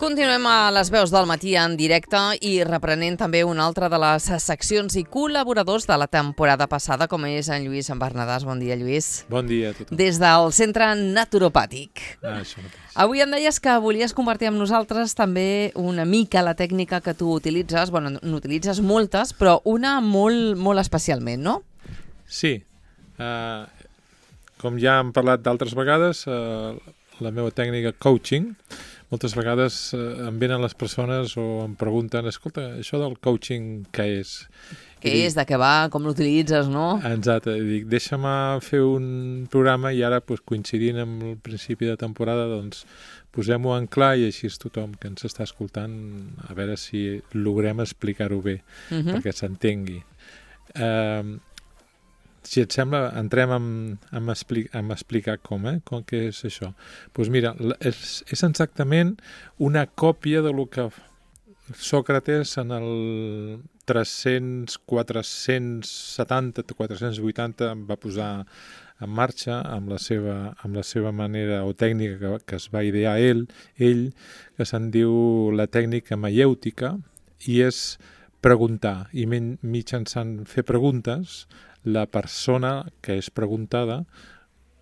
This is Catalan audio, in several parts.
Continuem a les veus del matí en directe i reprenent també una altra de les seccions i col·laboradors de la temporada passada, com és en Lluís Bernadàs. Bon dia, Lluís. Bon dia a tothom. Des del Centre Naturopàtic. Això mateix. Avui em deies que volies compartir amb nosaltres també una mica la tècnica que tu utilitzes. Bueno, n'utilitzes moltes, però una molt especialment, no? Sí. Com ja hem parlat d'altres vegades, la meva tècnica coaching, moltes vegades em venen les persones o em pregunten, escolta, això del coaching què és? Què és, de què va, com l'utilitzes, no? Exacte, dic, deixa'm fer un programa i ara, coincidint amb el principi de temporada, doncs posem-ho en clar i així tothom que ens està escoltant, a veure si logrem explicar-ho bé, perquè s'entengui. Si et sembla, entrem a explicar com què és això. Doncs mira, és exactament una còpia de lo que Sòcrates en el 300, 470, 480 va posar en marxa amb la seva manera o tècnica que es va idear ell, que se'n diu la tècnica maièutica, i és preguntar, i mitjançant fer preguntes, la persona que és preguntada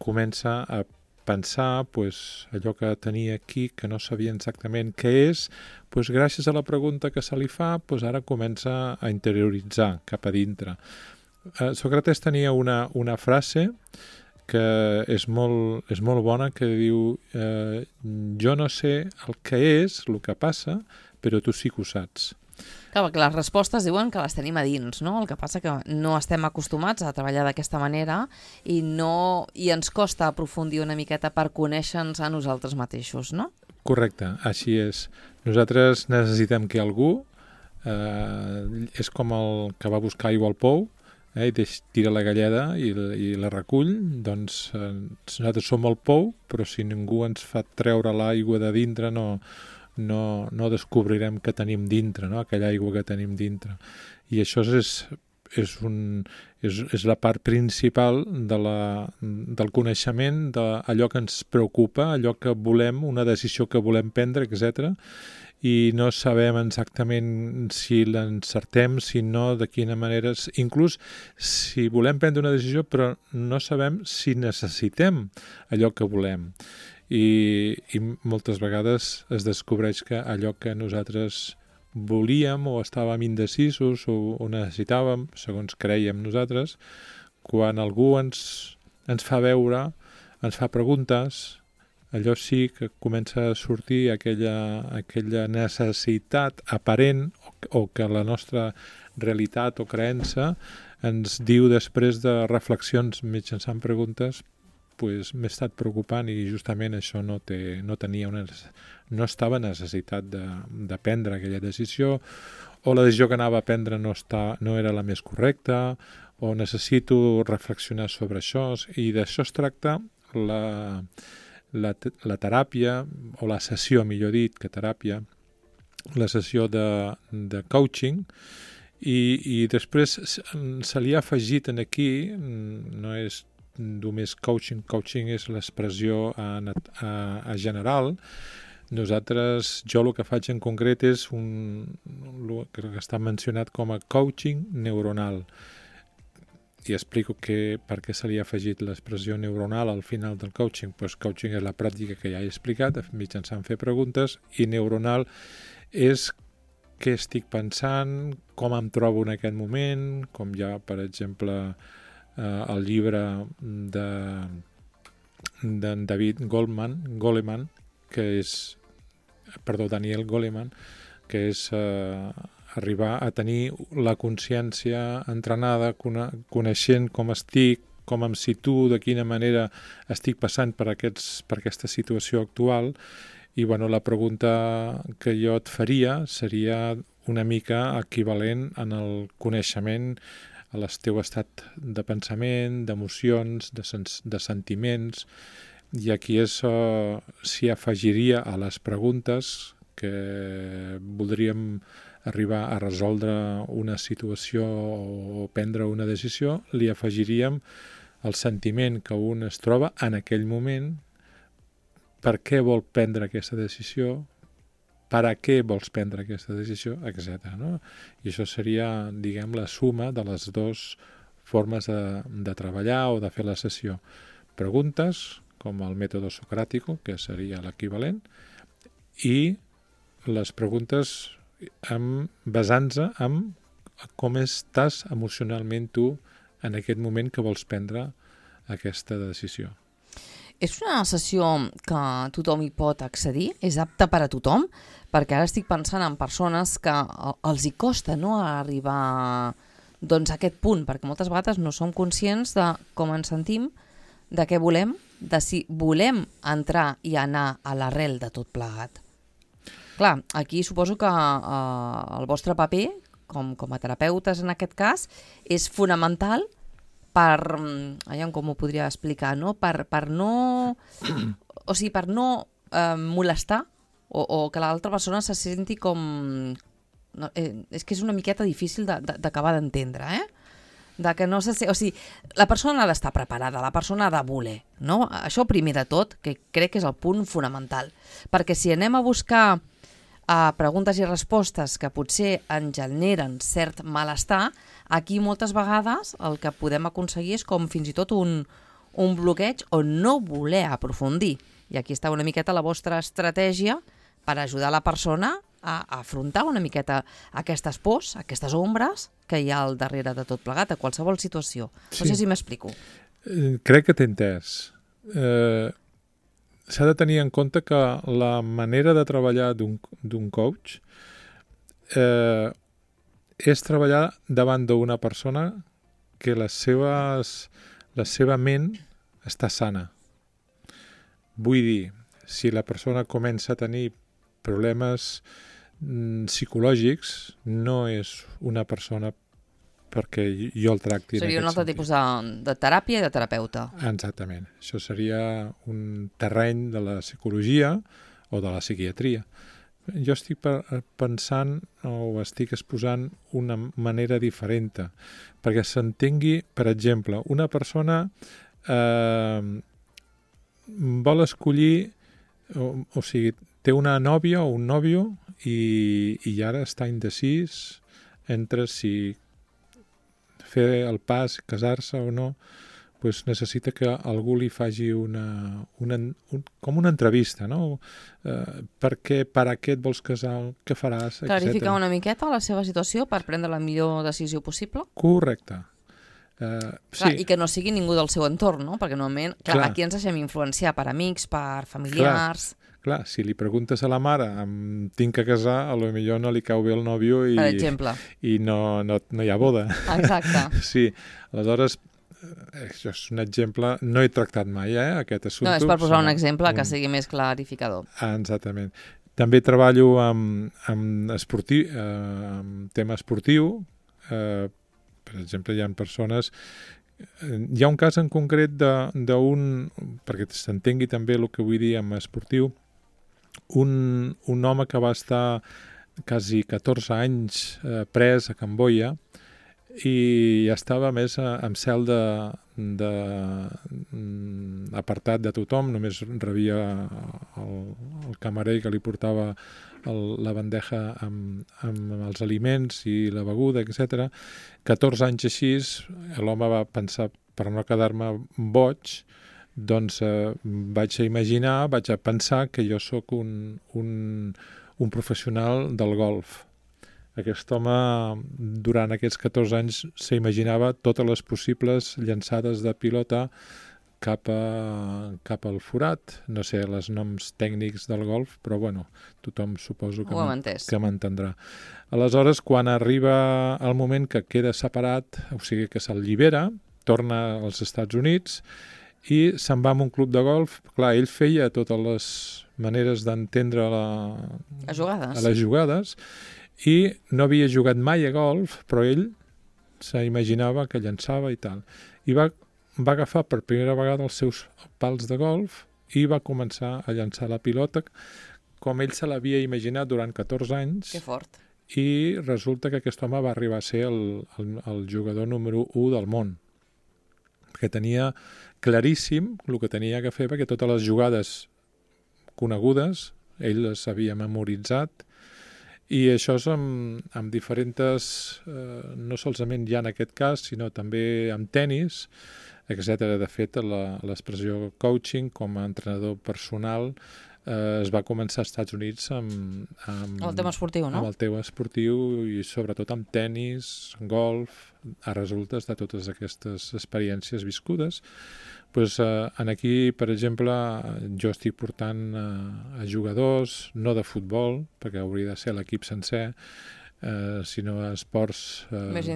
comença a pensar allò que tenia aquí, que no sabia exactament què és, gràcies a la pregunta que se li fa, ara comença a interioritzar cap a dintre. Sòcrates tenia una frase que és molt bona, que diu jo no sé el que és, el que passa, però tu sí que ho saps. Clar, que les respostes diuen que les tenim a dins, no? El que passa que no estem acostumats a treballar d'aquesta manera i ens costa aprofundir una miqueta per conèixer-nos a nosaltres mateixos, no? Correcte, així és. Nosaltres necessitem que algú, és com el que va buscar aigua al pou, i tira la galleda i la recull, doncs nosaltres som el pou, però si ningú ens fa treure l'aigua de dintre no descobrirem que tenim dintre, no? Aquella aigua que tenim dintre. I això és la part principal del coneixement, d'allò que ens preocupa, allò que volem, una decisió que volem prendre, etc. I no sabem exactament si l'encertem, si no, de quina manera. Inclús si volem prendre una decisió, però no sabem si necessitem allò que volem. I moltes vegades es descobreix que allò que nosaltres volíem o estàvem indecisos o necessitàvem, segons creiem nosaltres, quan algú ens fa veure, ens fa preguntes, allò sí que comença a sortir aquella necessitat aparent o que la nostra realitat o creença ens diu després de reflexions mitjançant preguntes, m'he estat preocupant i justament això no estava necessitat de prendre aquella decisió, o la decisió que anava a prendre no era la més correcta, o necessito reflexionar sobre això, i d'això es tracta la teràpia, o la sessió, millor dit, que teràpia, la sessió de coaching, i després se li ha afegit aquí, no és només coaching és l'expressió a general. Jo el que faig en concret és el que està mencionat com a coaching neuronal. I explico per què se li ha afegit l'expressió neuronal al final del coaching. Coaching és la pràctica que ja he explicat, mitjançant fer preguntes, i neuronal és què estic pensant, com em trobo en aquest moment, com ja, per exemple, el llibre d'en Goleman, Daniel Goleman, que és arribar a tenir la consciència entrenada, coneixent com estic, com em situo, de quina manera estic passant per aquesta situació actual. I la pregunta que jo et faria seria una mica equivalent en el coneixement al teu estat de pensament, d'emocions, de sentiments, i aquí s'hi afegiria a les preguntes que voldríem arribar a resoldre una situació o prendre una decisió, li afegiríem el sentiment que un es troba en aquell moment, per què vol prendre aquesta decisió, per a què vols prendre aquesta decisió, etc. No? I això seria, diguem, la suma de les dues formes de treballar o de fer la sessió. Preguntes, com el mètode socràtico, que seria l'equivalent, i les preguntes basant-se en com estàs emocionalment tu en aquest moment que vols prendre aquesta decisió. És una sessió que tothom hi pot accedir? És apta per a tothom? Perquè ara estic pensant en persones que els hi costa no arribar doncs, a aquest punt, perquè moltes vegades no som conscients de com ens sentim, de què volem, de si volem entrar i anar a l'arrel de tot plegat. Clar, aquí suposo que el vostre paper, com a terapeutes en aquest cas, és fonamental per, com ho podria explicar, no? Per no, o sigui, per no molestar o que l'altra persona se senti com... No, és que és una miqueta difícil d'acabar d'entendre, de que no se... O sigui, la persona ha d'estar preparada, la persona ha de voler, no? Això primer de tot, que crec que és el punt fonamental, perquè si anem a buscar preguntes i respostes que potser ens generen cert malestar, aquí moltes vegades el que podem aconseguir és com fins i tot un bloqueig o no voler aprofundir. I aquí està una miqueta la vostra estratègia per ajudar la persona a afrontar una miqueta aquestes pors, aquestes ombres que hi ha al darrere de tot plegat, a qualsevol situació. No sé si m'explico. Crec que t'he entès. S'ha de tenir en compte que la manera de treballar d'un coach és treballar davant d'una persona que la seva ment està sana. Vull dir, si la persona comença a tenir problemes psicològics, no és una persona perquè jo el tracti. Seria un altre tipus de teràpia i de terapeuta. Exactament. Això seria un terreny de la psicologia o de la psiquiatria. Jo estic pensant o estic exposant una manera diferent perquè s'entengui, per exemple, una persona vol escollir, o sigui, té una nòvia o un nòvio i ara està indecís entre si fer el pas, casar-se o no, doncs necessita que algú li faci com una entrevista, no? Per a què et vols casar, què faràs, etc. Clarificar una miqueta la seva situació per prendre la millor decisió possible? Correcte. Clar, i que no sigui ningú del seu entorn, no? Perquè normalment, aquí ens deixem influenciar per amics, per familiars... Clar, si li preguntes a la mare tinc que casar, a lo millor no li cau bé el nòvio i, per exemple. I no hi ha boda. Exacte. Sí, aleshores, això és un exemple, no he tractat mai aquest assumpte. No, és per posar un exemple que sigui més clarificador. Exactament. També treballo amb tema esportiu. Per exemple, hi ha persones... Hi ha un cas en concret d'un... perquè s'entengui també el que vull dir amb esportiu, un home que va estar quasi 14 anys pres a Camboya i estava més en cel apartat de tothom, només rebia el camarer que li portava la bandeja amb els aliments i la beguda, etc. 14 anys així, l'home va pensar, per no quedar-me boig, doncs vaig a pensar que jo sóc un professional del golf. Aquest home, durant aquests 14 anys, s'imaginava totes les possibles llançades de pilota cap al forat. No sé els noms tècnics del golf, però bueno, tothom suposo que m'entendrà. Aleshores, quan arriba el moment que queda separat, o sigui que s'allibera, torna als Estats Units i se'n va a un club de golf. Clar, ell feia totes les maneres d'entendre les jugades i no havia jugat mai a golf, però ell s'imaginava que llançava i tal. I va agafar per primera vegada els seus pals de golf i va començar a llançar la pilota com ell se l'havia imaginat durant 14 anys. Que fort. I resulta que aquest home va arribar a ser el jugador número 1 del món, que tenia claríssim el que tenia que fer, perquè totes les jugades conegudes ell les havia memoritzat, i això és amb diferents, no solament ja en aquest cas, sinó també amb tenis, etc. De fet, l'expressió coaching com a entrenador personal es va començar als Estats Units amb el tema esportiu, no? Amb el tema esportiu i sobretot amb tenis, golf, a resultes de totes aquestes experiències viscudes. Pues, aquí, per exemple, jo estic portant a jugadors, no de futbol, perquè hauria de ser l'equip sencer, sinó a esports més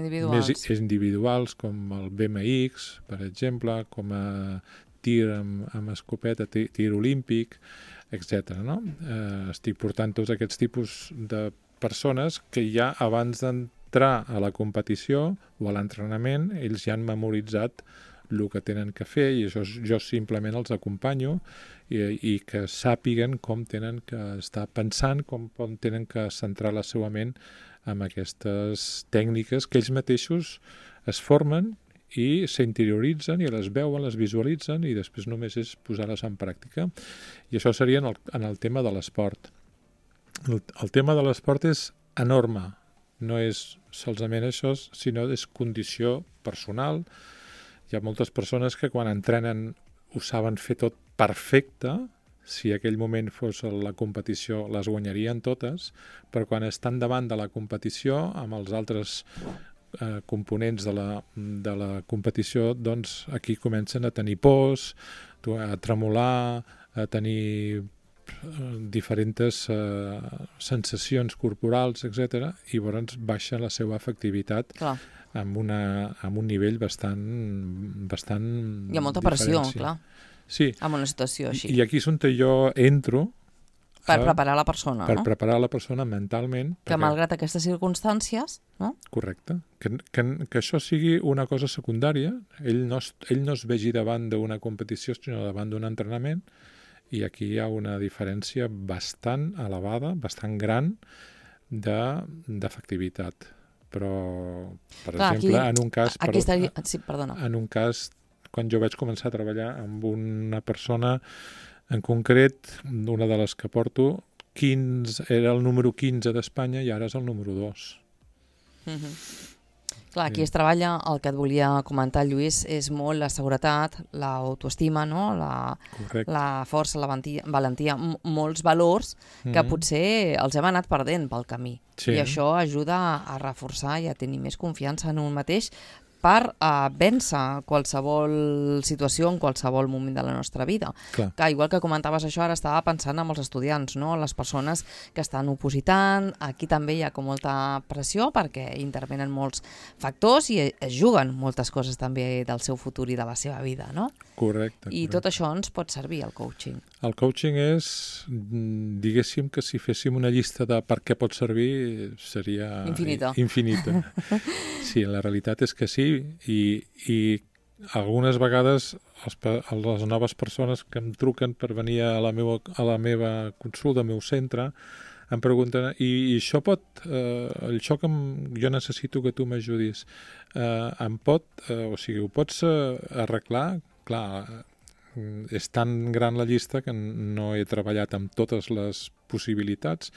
individuals, com el BMX, per exemple, com a tir amb escopeta, tir olímpic, etc. No? Estic portant tots aquests tipus de persones que ja abans d'entrar a la competició o a l'entrenament, ells ja han memoritzat el que tenen que fer, i això jo simplement els acompanyo i que sàpiguen com tenen que estar pensant, com tenen que centrar la seva ment amb aquestes tècniques que ells mateixos es formen i s'interioritzen i les veuen, les visualitzen i després només és posar-les en pràctica. I això seria en el tema de l'esport. El tema de l'esport és enorme, no és solament això, sinó és condició personal. Hi ha moltes persones que quan entrenen ho saben fer tot perfecte, si aquell moment fos la competició les guanyarien totes, però quan estan davant de la competició amb els altres components de la competició, doncs aquí comencen a tenir pors, a tremolar, a tenir diferents sensacions corporals, etc. I llavors baixa la seva efectivitat amb un nivell bastant hi ha molta pressió, clar. Sí. Amb una situació així. I aquí és on jo entro per preparar la persona, per preparar la persona mentalment. Que malgrat aquestes circumstàncies, no? Correcte. Que això sigui una cosa secundària. Ell no es vegi davant d'una competició, sinó davant d'un entrenament, i aquí hi ha una diferència bastant elevada, bastant gran d'efectivitat. Però, per exemple, en un cas... Sí, perdona. En un cas, quan jo vaig començar a treballar amb una persona en concret, una de les que porto, era el número 15 d'Espanya i ara és el número 2. Clar, aquí es treballa, el que et volia comentar, Lluís, és molt la seguretat, l'autoestima, no? La força, la valentia, molts valors que potser els hem anat perdent pel camí. I això ajuda a reforçar i a tenir més confiança en un mateix per vèncer qualsevol situació en qualsevol moment de la nostra vida. Clar. Que igual que comentaves això, ara estava pensant en els estudiants, no? Les persones que estan opositant, aquí també hi ha com molta pressió perquè intervenen molts factors i es juguen moltes coses també del seu futur i de la seva vida, no? Correcte. I tot això ens pot servir, el coaching. El coaching és, diguéssim que si féssim una llista de per què pot servir, seria... Infinita. Sí, la realitat és que sí, i algunes vegades les noves persones que em truquen per venir a la meva consulta, al meu centre, em pregunten, i això això que jo necessito que tu m'ajudis, ho pots arreglar? Clar, és tan gran la llista que no he treballat amb totes les possibilitats,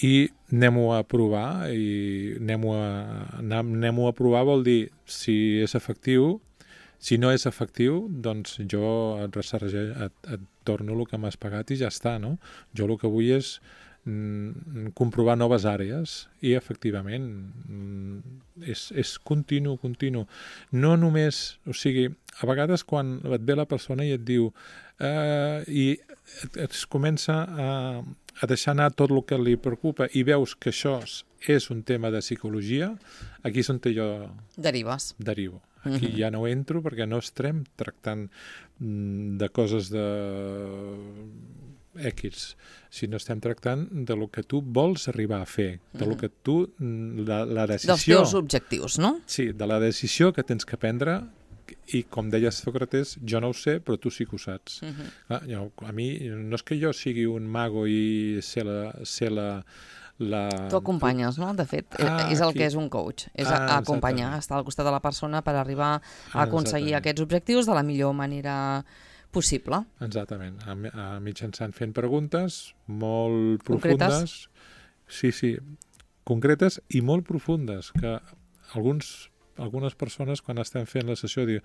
i anem-ho a provar, i anem-ho a provar vol dir si és efectiu. Si no és efectiu, doncs jo et torno el que m'has pagat i ja està, no? Jo el que vull és comprovar noves àrees i efectivament és continu. No només, o sigui, a vegades quan et ve la persona i et diu i es comença a deixar anar tot el que li preocupa i veus que això és un tema de psicologia, aquí és on jo derivo. Aquí ja no entro perquè no estem tractant de coses X, sinó estem tractant de lo que tu vols arribar a fer, de lo que tu, la decisió... Dels teus objectius, no? Sí, de la decisió que tens que prendre, i com deia Sòcrates, jo no ho sé, però tu sí que ho saps. Clar, a mi, no és que jo sigui un mago i sé la... Tu acompanyes, no? De fet, és el que és un coach, és acompanyar, estar al costat de la persona per arribar a aconseguir aquests objectius de la millor manera possible. Exactament, mitjançant fent preguntes molt profundes. Sí, concretes i molt profundes, que algunes persones quan estem fent la sessió diuen,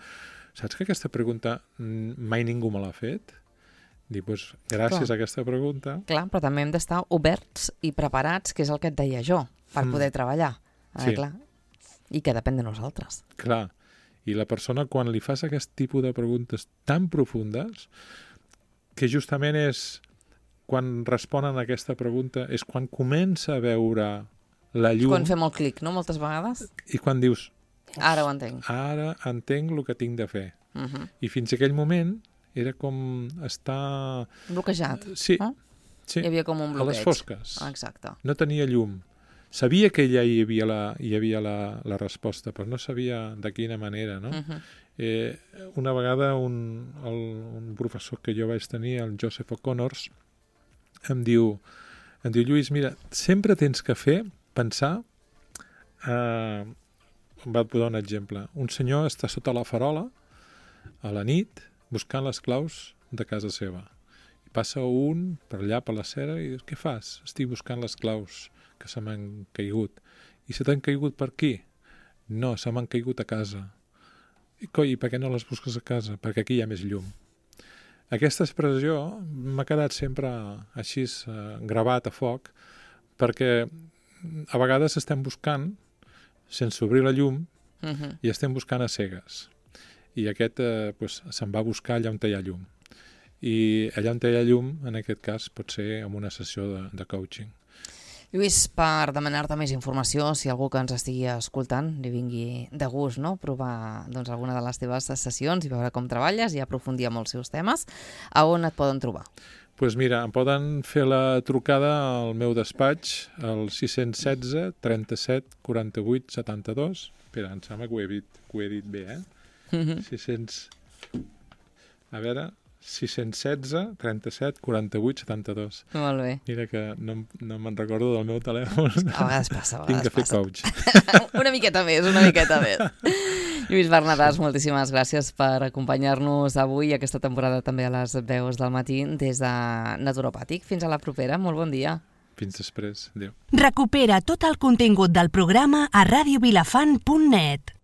saps que aquesta pregunta mai ningú me l'ha fet? Dic, doncs gràcies a aquesta pregunta... Clar, però també hem d'estar oberts i preparats, que és el que et deia jo, per poder treballar. Sí. Clar. I que depèn de nosaltres. Clar, i la persona quan li fas aquest tipus de preguntes tan profundes, que justament és quan responen a aquesta pregunta, és quan comença a veure la llum... Quan fem el clic, no?, moltes vegades. I quan dius... Ara ho entenc. Ara entenc el que tinc de fer. I fins a aquell moment era com estar... Bloquejat. Sí. Hi havia com un bloqueig. A les fosques. Exacte. No tenia llum. Sabia que ja hi havia la resposta, però no sabia de quina manera, no? Una vegada un professor que jo vaig tenir, el Joseph O'Connors, em diu, Lluís, mira, sempre tens que pensar... va posar un exemple. Un senyor està sota la farola a la nit buscant les claus de casa seva. I passa un per allà per la cera i dius, què fas? Estic buscant les claus que se m'han caigut. I se t'han caigut per aquí? No, se m'han caigut a casa. I coi, per què no les busques a casa? Perquè aquí hi ha més llum. Aquesta expressió m'ha quedat sempre així gravat a foc, perquè a vegades estem buscant sense obrir la llum i estem buscant a cegues. I aquest se'n va buscar allà on hi ha llum. I allà on hi ha llum, en aquest cas, pot ser en una sessió de coaching. Lluís, per demanar-te més informació, si algú que ens estigui escoltant li vingui de gust, no?, provar alguna de les teves sessions i veure com treballes i aprofundir en els seus temes, a on et poden trobar? Doncs mira, em poden fer la trucada al meu despatx al 616 37 48 72. Espera, em sembla que ho he dit bé, 616 37 48 72. Molt bé. Mira que no me'n recordo del meu telèfon. A vegades passa, Tinc de fer coach. Una miqueta més. Lluís Bernadàs, moltíssimes gràcies per acompanyar-nos avui i aquesta temporada també a les veus del matí des de Naturopàtic. Fins a la propera, molt bon dia. Fins després, adéu. Recupera tot el contingut del programa a radiovilafant.net.